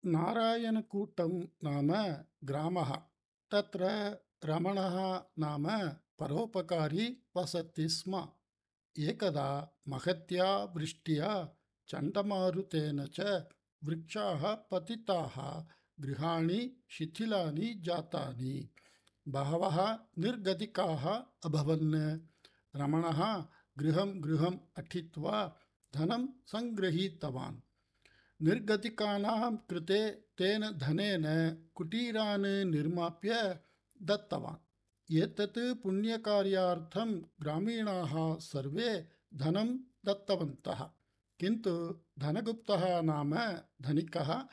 नारायणकूटं नाम ग्रामः। तत्र रमणः नाम परोपकारी वसति स्म। एकदा महत्या वृष्ट्या चण्डमारुतेन च वृक्षाः पतिताः, गृहाणि शिथिलानि जातानि, बहवः निर्गतिकाः अभवन्। रमणः गृहं गृहम् अटित्वा धनं सङ्गृहीतवान्। निर्गतिकानां कृते तेन धनेन कुटीरान् निर्माप्य दत्तवान्। एतत् पुण्यकार्यार्थं ग्रामीणाः सर्वे धनं दत्तवन्तः, किन्तु धनगुप्तः नाम धनिकः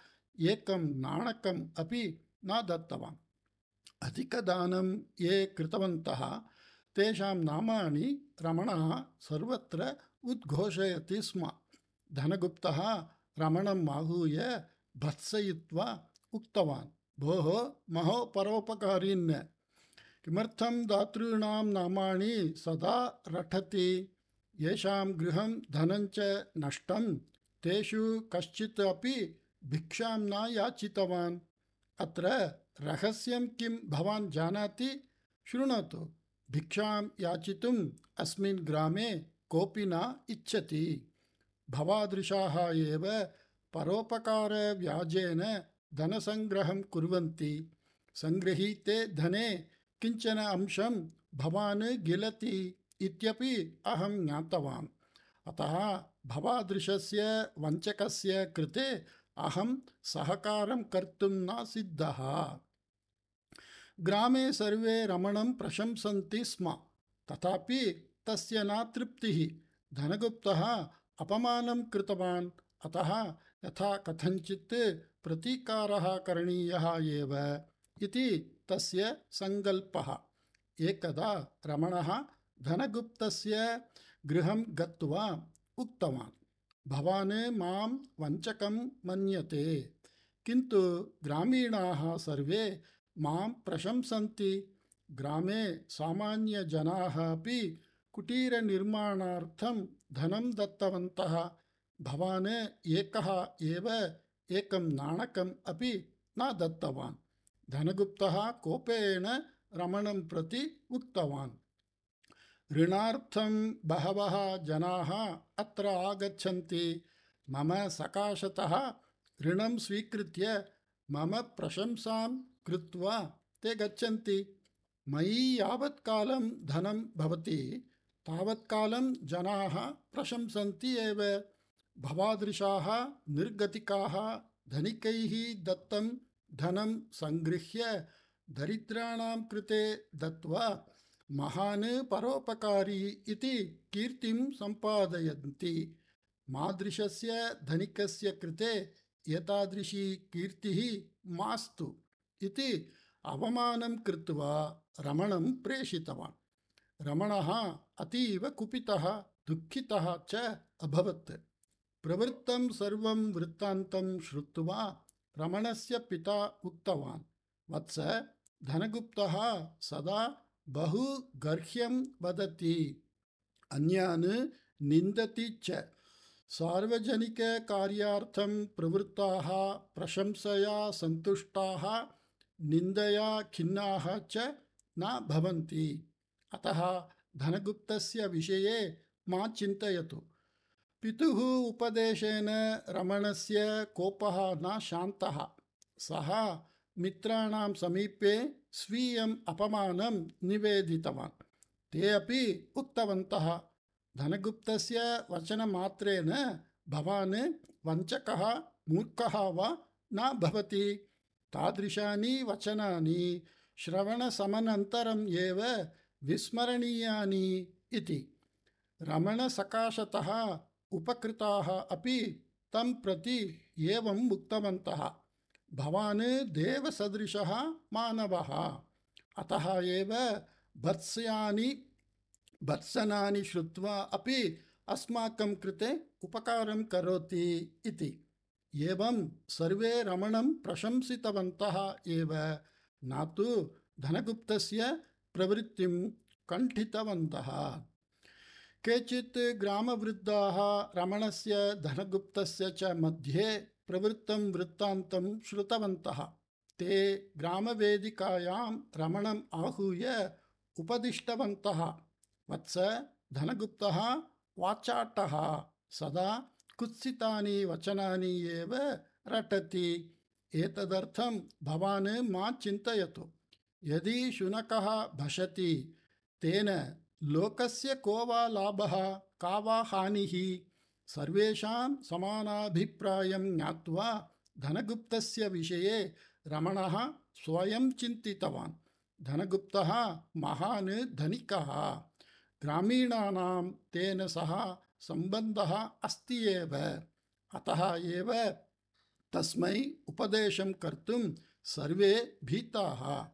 एकं नाणकम् अपि न दत्तवान्। अधिकदानं ये कृतवन्तः तेषां नामानि रमणः सर्वत्र उद्घोषयति स्म। धनगुप्तः रमणम् आहूय भत्सयित्वा उक्तवान्, भोः महोपरोपकारिन्, किमर्थं दातॄणां नामानि सदा रटति? येषां गृहं धनञ्च नष्टं तेषु कश्चित् अपि भिक्षां न याचितवान्। अत्र रहस्यं किं भवान् जानाति? शृणोतु, भिक्षां याचितुम् अस्मिन् ग्रामे कोऽपि न इच्छति। भवादृशाः एव परोपकारव्याजेन धनसङ्ग्रहं कुर्वन्ति। सङ्गृहीते धने किञ्चन अंशं भवान् गिलति इत्यपि अहं ज्ञातवान्। अतः भवादृशस्य वञ्चकस्य कृते अहं सहकारं कर्तुं न सिद्धः। ग्रामे सर्वे रमणं प्रशंसन्ति स्म, तथापि तस्य न तृप्तिः। धनगुप्तः अपमानं कृतवान्, अतः यथा कथञ्चित् प्रतीकारः करणीयः एव इति तस्य सङ्कल्पः। एकदा रमणः धनगुप्तस्य गृहं गत्वा उक्तवान्, भवान् मां वञ्चकं मन्यते, किन्तु ग्रामीणाः सर्वे मां प्रशंसन्ति। ग्रामे सामान्यजनाः अपि कुटीरनिर्माणार्थं धनं दत्तवन्तः। भवान् एकः एव एकं नाणकम् अपि न दत्तवान्। धनगुप्तः कोपेन रमणं प्रति उक्तवान्, ऋणार्थं बहवः जनाः अत्र आगच्छन्ति। मम सकाशतः ऋणं स्वीकृत्य मम प्रशंसां कृत्वा ते गच्छन्ति। मयि यावत्कालं धनं भवति तावत्कालं जनाः प्रशंसन्ति एव। भवादृशाः निर्गतिकाः धनिकैः दत्तं धनं सङ्गृह्य दरिद्राणां कृते दत्त्वा महान् परोपकारी इति कीर्तिं सम्पादयन्ति। मादृशस्य धनिकस्य कृते एतादृशी कीर्तिः मास्तु इति अवमानं कृत्वा रमणं प्रेषितवान्। रमणः अतीव कुपितः दुःखितः च अभवत्। प्रवृत्तं सर्वं वृत्तान्तं श्रुत्वा रमणस्य पिता उक्तवान्, वत्स, धनगुप्तः सदा बहु गर्ह्यं वदति, अन्यान् निन्दति च। सार्वजनिककार्यार्थं प्रवृत्ताः प्रशंसया सन्तुष्टाः निन्दया खिन्नाः च न भवन्ति। अतः धनगुप्तस्य विषये मा चिन्तयतु। पितुः उपदेशेन रमणस्य कोपः न शान्तः। सः मित्राणां समीपे स्वीयम् अपमानं निवेदितवान्। ते अपि उक्तवन्तः, धनगुप्तस्य वचनमात्रेण भवान् वञ्चकः मूर्खः वा न भवति। तादृशानि वचनानि श्रवणसमनन्तरम् एव विस्मरणीयानि इति। रमणसकाशतः उपकृताः अपि तं प्रति एवम् उक्तवन्तः, भवान् देवसदृशः मानवः, अतः एव भर्त्सनानि श्रुत्वा अपि अस्माकं कृते उपकारं करोति इति। एवं सर्वे रमणं प्रशंसितवन्तः एव, न तु धनगुप्तस्य प्रवृत्तिं कण्ठितवन्तः। केचित् ग्रामवृद्धाः रमणस्य धनगुप्तस्य च मध्ये प्रवृत्तं वृत्तान्तं श्रुतवन्तः। ते ग्रामवेदिकायां रमणम् आहूय उपदिष्टवन्तः। वत्स, धनगुप्तः वाचाटः सदा कुत्सितानि वचनानि एव रटति। एतदर्थं भवान् मा चिन्तयतु। यदि शुनकः भषति तेन लोकस्य को वा लाभः, का वा हानिः? सर्वेषां समानाभिप्रायं ज्ञात्वा धनगुप्तस्य विषये रमणः स्वयं चिन्तितवान्। धनगुप्तः महान् धनिकः। ग्रामीणानां तेन सह सम्बन्धः अस्ति एव। अतः एव तस्मै उपदेशं कर्तुं सर्वे भीताः।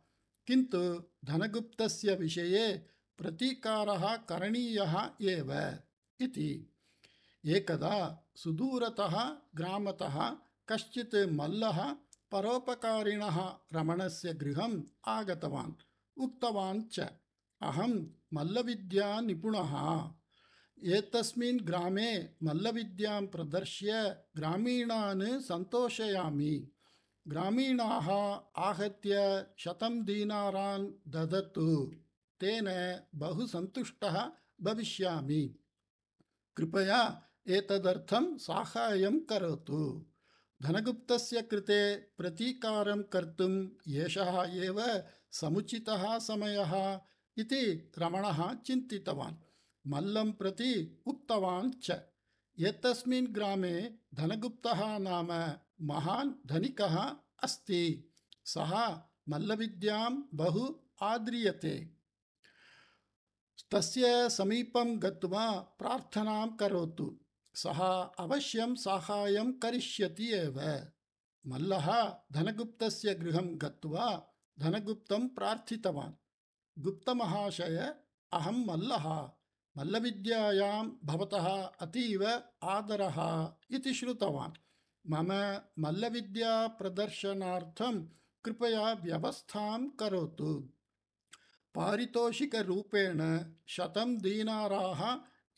किन्तु धनगुप्तस्य विषये प्रतीकारः करणीयः एव इति। एकदा सुदूरतः ग्रामतः कश्चित् मल्लः परोपकारिणः रमणस्य गृहम् आगतवान्। उक्तवान् च, अहं मल्लविद्यानिपुणः। एतस्मिन् ग्रामे मल्लविद्यां प्रदर्श्य ग्रामीणान् सन्तोषयामि। ग्रामीणाः आहत्य 100 दीनारान् ददतु, तेन बहु सन्तुष्टः भविष्यामि। कृपया एतदर्थं साहाय्यं करोतु। धनगुप्तस्य कृते प्रतीकारं कर्तुम् एषः एव समुचितः समयः इति रमणः चिन्तितवान्। मल्लं प्रति उक्तवान् च। एतस्मिन् ग्रामे धनगुप्तः नाम महान् धनिकः अस्ति। सः मल्लविद्यां बहु आद्रियते। तस्य समीपं गत्वा प्रार्थनां करोतु। सः अवश्यं साहाय्यं करिष्यति एव। मल्लः धनगुप्तस्य गृहं गत्वा धनगुप्तं प्रार्थितवान्। गुप्तमहाशय, अहं मल्लः। मल्लविद्यायां भवतः अतीव आदरः इति श्रुतवान्। मम मल्लविद्याप्रदर्शनार्थं कृपया व्यवस्थां करोतु। पारितोषिकरूपेण 100 दीनाराः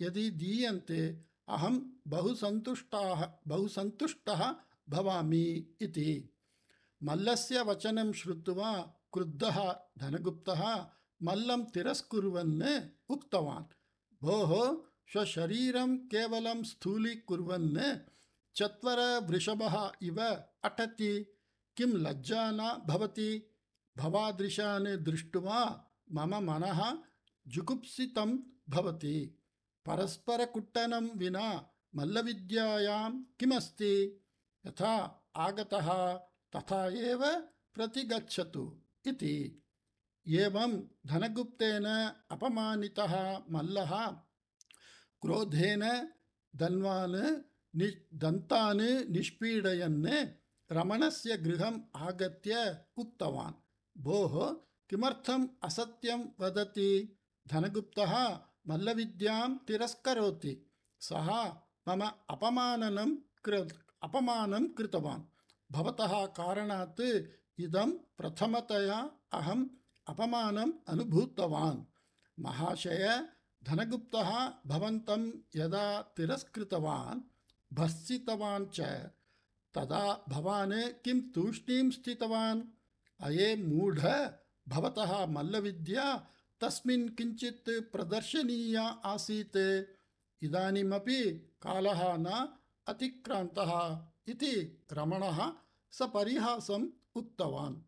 यदि दीयन्ते अहं बहु सन्तुष्टः भवामि इति। मल्लस्य वचनं श्रुत्वा क्रुद्धः धनगुप्तः मल्लं तिरस्कुर्वन् उक्तवान्, भोः, स्वशरीरं केवलं स्थूलीकुर्वन् चत्वरवृषभः इव अटति। किं लज्जा न भवति? भवादृशान् दृष्ट्वा मम मनः जुगुप्सितं भवति। परस्परकुट्टनं विना मल्लविद्यायां किमस्ति? यथा आगतः तथा एव प्रतिगच्छतु इति। एवं धनगुप्तेन अपमानितः मल्लः क्रोधेन दन्तान् निष्पीडयन् रमणस्य गृहम् आगत्य उक्तवान्, भोः, किमर्थम् असत्यं वदति? धनगुप्तः मल्लविद्यां तिरस्करोति। सः मम अपमानं कृतवान्। भवतः कारणात् इदं प्रथमतया अहम् अपमानम् अनुभूतवान्। महाशय, धनगुप्तः भवन्तं यदा तिरस्कृतवान्, भर्त्सितवान् च, तदा भवान् किं तूष्णीं स्थितवान्? अये मूढ, भवतः मल्लविद्या तस्मिन् किञ्चित् प्रदर्शनीया आसीत्। इदानीमपि कालः न अतिक्रान्तः इति रमणः सपरिहासम् उक्तवान्।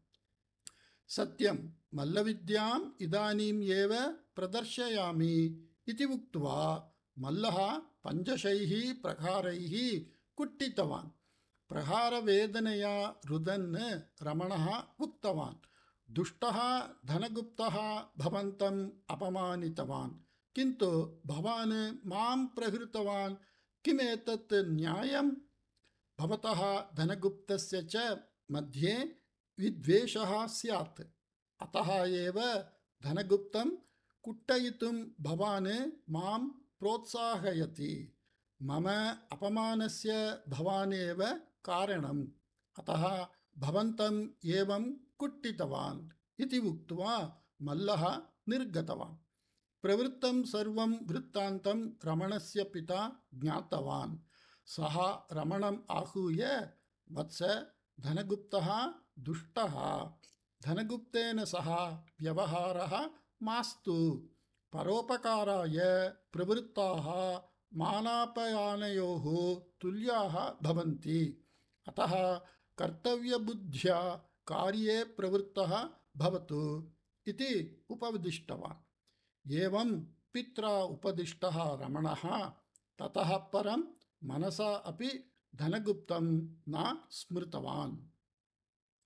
सत्यं, मल्लविद्याम् इदानीम् एव प्रदर्शयामि इति उक्त्वा मल्लः 5 प्रहारैः कुट्टितवान्। प्रहारवेदनया रुदन् रमणः उक्तवान्, दुष्टः धनगुप्तः भवन्तम् अपमानितवान्, किन्तु भवान् मां प्रहृतवान्। किमेतत् न्यायम्? भवतः धनगुप्तस्य च मध्ये विद्वेषः स्यात्। अतः एव धनगुप्तं कुट्टयितुं भवान् मां प्रोत्साहयति। मम अपमानस्य भवानेव कारणम्। अतः भवन्तम् एवं कुट्टितवान् इति उक्त्वा मल्लः निर्गतवान्। प्रवृत्तं सर्वं वृत्तान्तं रमणस्य पिता ज्ञातवान्। सः रमणम् आहूय, वत्स, धनगुप्तः दुष्टः, धनगुप्तेन सह व्यवहारः मास्तु। परोपकाराय प्रवृत्ताः मानापयानयोः तुल्याः भवन्ति। अतः कर्तव्यबुद्ध्या कार्ये प्रवृत्तः भवतु इति उपदिष्टवान्। एवं पित्रा उपदिष्टः रमणः ततः परं मनसा अपि धनगुप्तं न स्मृतवान्।